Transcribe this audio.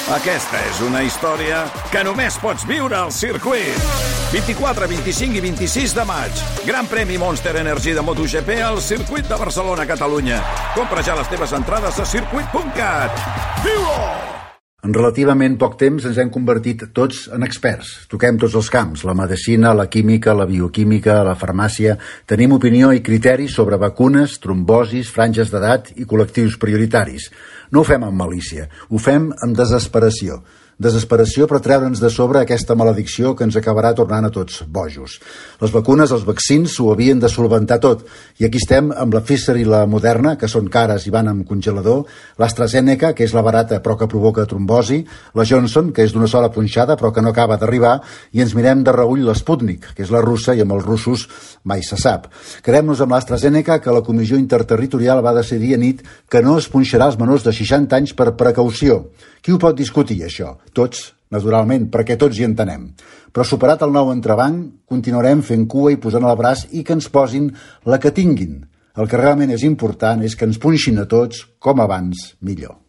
Aquesta és una història que només pots viure al circuit. 24, 25 i 26 de maig. Gran premi Monster Energy de MotoGP al circuit de Barcelona, Catalunya. Compra ja les teves entrades a circuit.cat. Viu-ho! En relativament poc temps ens hem convertit tots en experts. Toquem tots els camps, la medicina, la química, la bioquímica, la farmàcia. Tenim opinió i criteri sobre vacunes, trombosis, franges d'edat i col·lectius prioritaris. No ho fem amb malícia, ho fem amb desesperació. Desesperació per treure'ns de sobre aquesta maledicció que ens acabarà tornant a tots bojos. Les vacunes, els vaccins, ho havien de solventar tot. I aquí estem amb la Pfizer i la Moderna, que són cares i van amb congelador, l'AstraZeneca, que és la barata però que provoca trombosi, la Johnson, que és d'una sola punxada però que no acaba d'arribar, i ens mirem de reüll l'Sputnik, que és la russa, i amb els russos mai se sap. Quedem-nos amb l'AstraZeneca, que la Comissió Interterritorial va decidir a nit que no es punxarà als menors de 60 anys per precaució. Qui ho pot discutir, això? Tots, naturalment, perquè tots hi entenem. Però superat el nou entrebanc, continuarem fent cua i posant el braç i que ens posin la que tinguin. El que realment és important és que ens punxin a tots, com abans, millor.